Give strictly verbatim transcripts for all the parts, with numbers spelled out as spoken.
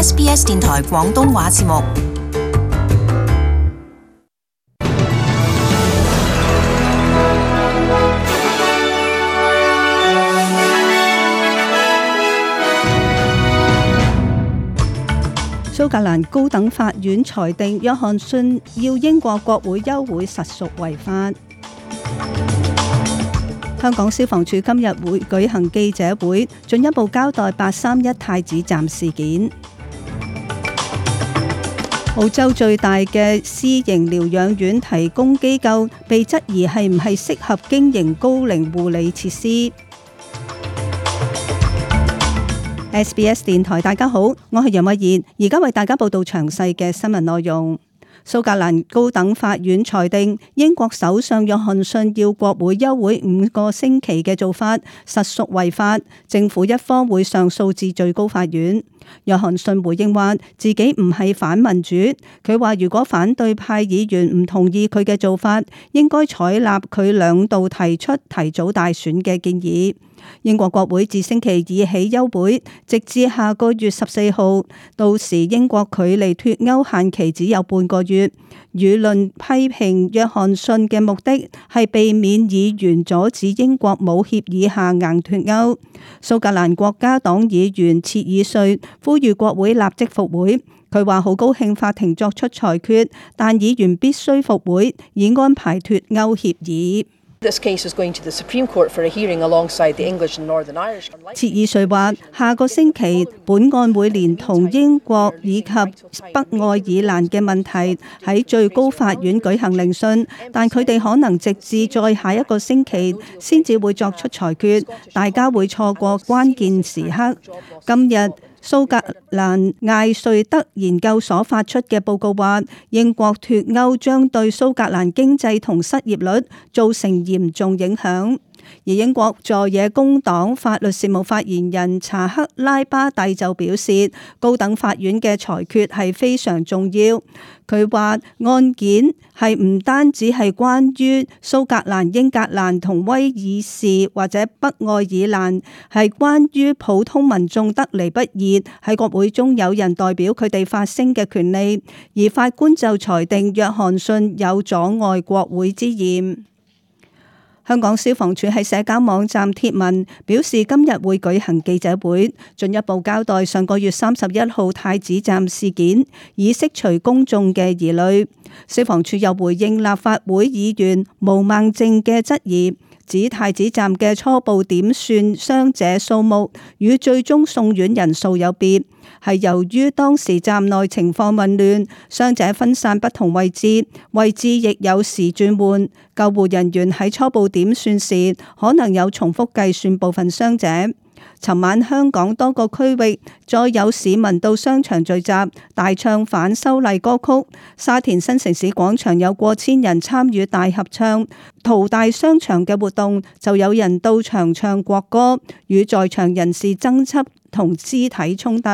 S B S 電台廣東話節目。蘇格蘭高等法院裁定約翰遜要英國國會休會實屬違法。香港消防處今日會舉行記者會，進一步交代八三一太子站事件。澳洲最大嘅私營療養院提供機構被質疑係唔係適合經營高齡護理設施。S B S 電台，大家好，我係楊慧燕，而家為大家報道詳細嘅新聞內容。蘇格蘭高等法院裁定英國首相約翰遜要國會休會五個星期嘅做法實屬違法，政府一方會上訴至最高法院。約翰遜回應話自己唔係反民主，佢話如果反對派議員唔同意佢嘅做法，應該採納佢兩度提出提早大選嘅建議。英國國會自星期二起休會，直至下個月十四號，到時英國距離脫歐限期只有半個月。輿論批評約翰遜嘅目的係避免議員阻止英國冇協議下硬脫歐。蘇格蘭國家黨議員切爾瑞呼籲國會立即復會，佢話好高興法庭作出裁決，但議員必須復會以安排脫歐協議。切爾瑞話：下個星期本案會連同英國以及北愛爾蘭嘅問題喺最高法院舉行聆訊，但佢哋可能直至再下一個星期先至會作出裁決，大家會錯過關鍵時刻。今日蘇格蘭艾瑞德研究所發出嘅報告話，英國脫歐將對蘇格蘭經濟同失業率造成嚴重影響。而英國在野工黨法律事務發言人查克拉巴蒂就表示，高等法院嘅裁決係非常重要。佢話案件係唔單止係關於蘇格蘭、英格蘭同威爾士或者北愛爾蘭，係關於普通民眾得嚟不易喺國會中有人代表佢哋發聲嘅權利。而法官就裁定約翰遜有阻礙國會之嫌。香港消防處喺社交網站貼文表示，今日會舉行記者會，進一步交代上個月三十一號太子站事件，以釋除公眾嘅疑慮。消防處又回應立法會議員毛孟靜嘅質疑，指太子站嘅初步點算傷者數目與最終送院人數有別，係由於當時站內情況混亂，傷者分散不同位置，位置亦有時轉換。救護人員喺初步點算時，可能有重複計算部分傷者。尋晚香港多個區域再有市民到商場聚集，大唱反修例歌曲。沙田新城市廣場有過千人參與大合唱，淘大商場嘅活動就有人到場唱國歌，與在場人士爭執同肢體衝突。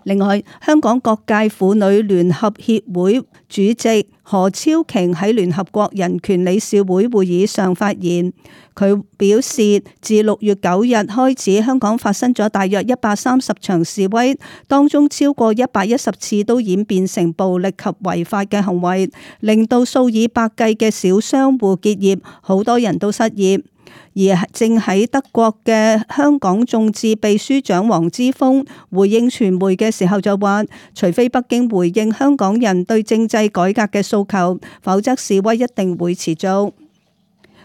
另外，香港各界婦女聯合協會主席何超瓊喺聯合國人權理事會會議上發言，佢表示自六月九日開始，香港發生咗大約一百三十場示威，當中超過一百一十次都演變成暴力及違法嘅行為，令到數以百計嘅小商戶結業，好多人都失業。而正喺德國嘅香港眾志秘書長黃之鋒回應傳媒嘅時候就話，除非北京回應香港人對政制改革嘅訴求，否則示威一定會持續。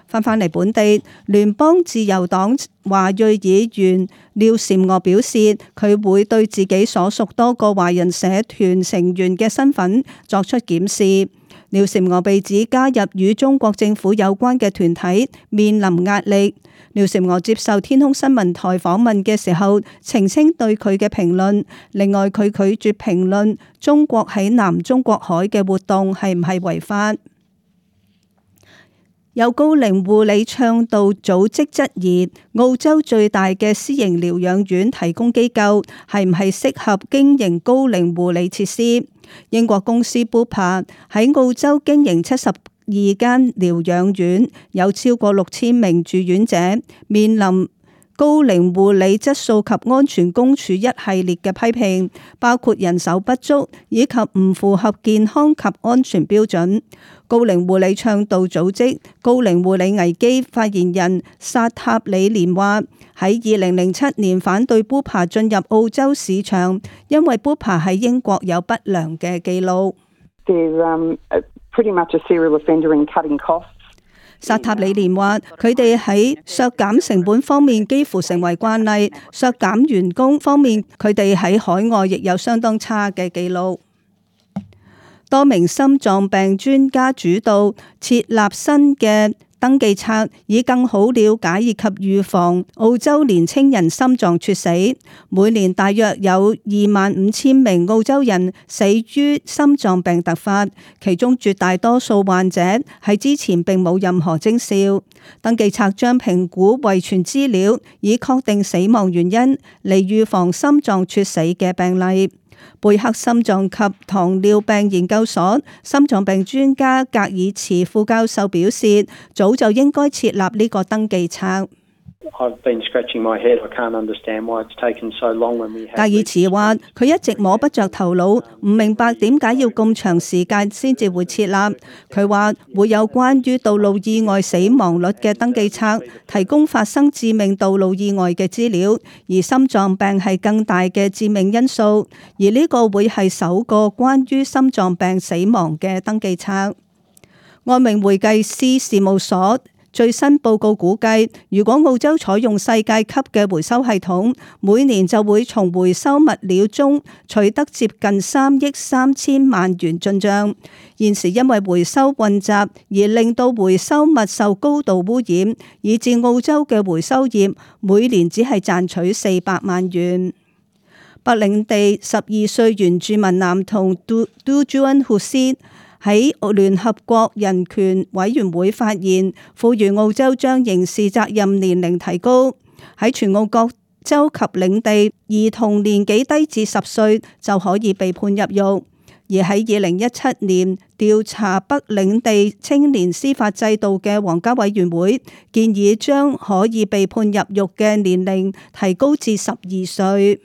翻返嚟本地，聯邦自由黨華裔議員廖嬋娥表示，佢會對自己所屬多個華人社團成員嘅身份作出檢視。廖嬋娥被指加入與中國政府有關嘅團體，面臨壓力。廖嬋娥接受天空新聞台訪問嘅時候，澄清對佢嘅評論。另外，佢拒絕評論中國喺南中國海嘅活動係唔係違法。有高齡護理倡導組織質疑，澳洲最大嘅私營療養院提供機構係唔係適合經營高齡護理設施。英國公司 Bupa 喺澳洲經營七十二間療養院，有超過六千名住院者面臨高齡護理質素及安全公署一系列嘅批評，包括人手不足以及唔符合健康及安全標準。高齡護理倡導組織高齡護理危機發言人薩塔里連話：喺二零零七年反對 Bupa 進入澳洲市場，因為 Bupa 喺英國有不良嘅記錄。薩塔里連話：佢哋喺削減成本方面幾乎成為慣例，削減員工方面，佢哋喺海外亦有相當差嘅記錄。多名心臟病專家主導設立新嘅登記冊，以更好了解以及預防澳洲年青人心臟猝死。每年大約有二萬五千名澳洲人死於心臟病突發，其中絕大多數患者喺之前並冇任何徵兆。登記冊將評估遺傳資料，以確定死亡原因，嚟預防心臟猝死嘅病例。貝克心臟及糖尿病研究所心臟病專家格爾茨副教授表示，早就應該設立呢個登記冊。格爾茨話：佢一直摸不着頭腦，唔明白點解要咁長時間先至會設立。佢話會有關於道路意外死亡率嘅登記冊，提供發生致命道路意外嘅資料，而心臟病係更大嘅致命因素，而呢個會係首個關於心臟病死亡嘅登記冊。愛明會計師事務所最新報告估計，如果澳洲採用世界級嘅回收系統，每年就會從回收物料中取得接近三億三千萬元進賬。現時因為回收混雜而令到回收物受高度污染，以致澳洲嘅回收業每年只係賺取四百萬元。北領地十二歲原住民男童杜杜朱恩胡斯喺聯合國人權委員會發言，呼籲澳洲將刑事責任年齡提高，喺全澳各州及領地，兒童年紀低至十歲就可以被判入獄。而喺二零一七年調查北領地青年司法制度嘅皇家委員會建議，將可以被判入獄嘅年齡提高至十二歲。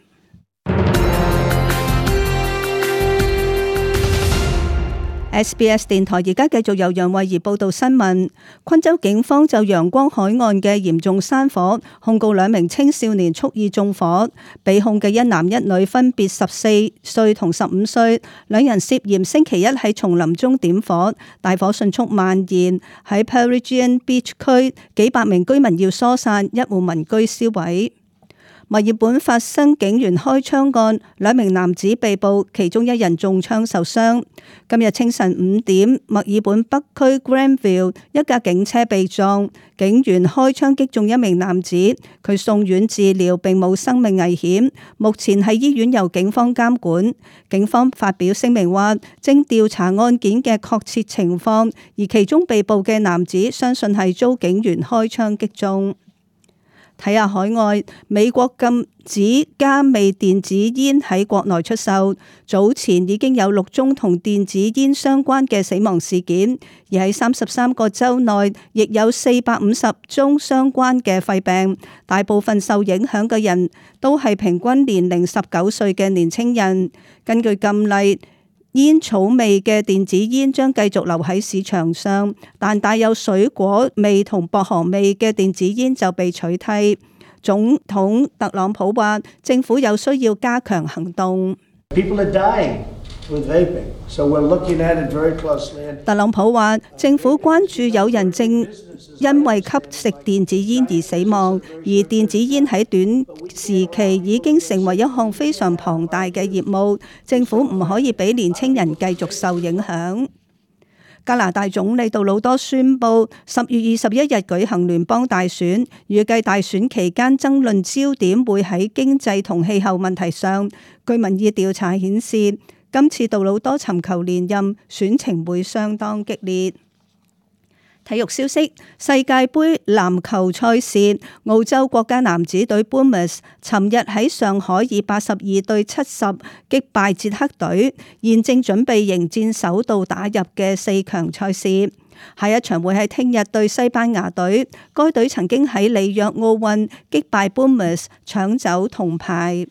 S B S 電台而家繼續由楊慧儀報道新聞。昆州警方就陽光海岸嘅嚴重山火控告兩名青少年蓄意縱火，被控嘅一男一女分別十四歲同十五歲，兩人涉嫌星期一喺叢林中點火，大火迅速蔓延，喺 Peregian Beach 區幾百名居民要疏散，一戶民居燒毀。墨爾本發生警員開槍案，兩名男子被捕，其中一人中槍受傷。今日清晨五點，墨爾本北區 Granville 一架警車被撞，警員開槍擊中一名男子，佢送院治療並冇生命危險，目前喺醫院由警方監管。警方發表聲明話，正調查案件嘅確切情況，而其中被捕嘅男子相信係遭警員開槍擊中。睇下海外，美國禁止加味電子煙喺國內出售。早前已經有六宗同電子煙相關嘅死亡事件，而喺三十三個州內，亦有四百五十宗相關嘅肺病。大部分受影響嘅人都係平均年齡十九歲嘅年輕人。根據禁例，煙草味嘅電子煙將繼續留喺市場上，但帶有水果味同薄荷味嘅電子煙就被取締。總統特朗普話，政府有需要加強行動。特朗普話，政府關注有人正因為吸食電子煙而死亡，而電子煙喺短時期已經成為一項非常龐大嘅業務，政府唔可以俾年輕人繼續受影響。加拿大總理杜魯多宣布，十月二十一日舉行聯邦大選，預計大選期間爭論焦點會喺經濟同氣候問題上。據民意調查顯示，今次杜魯多尋求連任，選情會相當激烈。體育消息：世界盃籃球賽事，澳洲國家男子隊 Boomers 尋日喺上海以八十二對七十擊敗捷克隊，現正準備迎戰首度打入嘅四強賽事。下一場會喺聽日對西班牙隊，該隊曾經喺里約奧運擊敗 Bournemouth 搶走銅牌。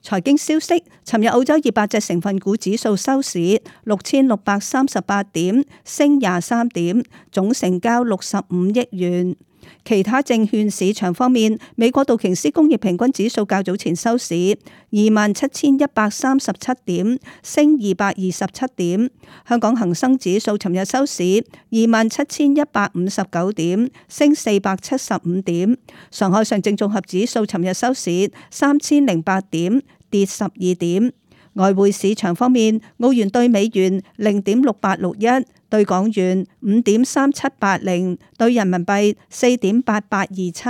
財經消息，尋日澳洲二百隻成分股指數收市六千六百三十八點，升廿三點，總成交六十五億元。其他證券市場方面，美國道瓊斯工業平均指數較早前收市二萬七千一百三十七點，升二百二十七點。香港恒生指數尋日收市二萬七千一百五十九點，升四百七十五點。上海上證綜合指數尋日收市三千零八點，跌十二點。外匯市場方面，澳元兌美元零點六八六一，兌港元五點三七八零，兌人民幣四點八八二七。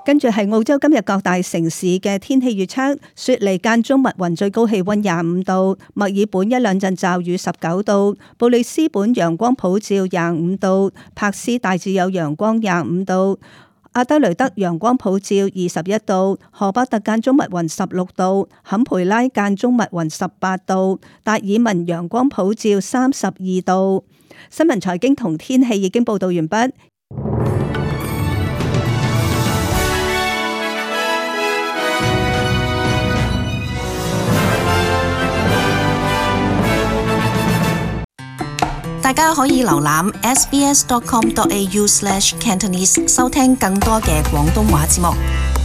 跟住係澳洲今日各大城市嘅天氣預測：雪梨間中密雲，最高氣溫廿五度；墨爾本一兩陣驟雨，十九度；布里斯本陽光普照，廿五度；柏斯大致有陽光，廿五度；阿德雷德陽光普照，二十一度；荷巴特間中密雲，十六度；坎培拉間中密雲，十八度；達爾文陽光普照，三十二度。新聞財經同天氣已經報道完畢。大家可以瀏覽 s b s dot com dot a u slash cantonese 收聽更多嘅廣東話節目。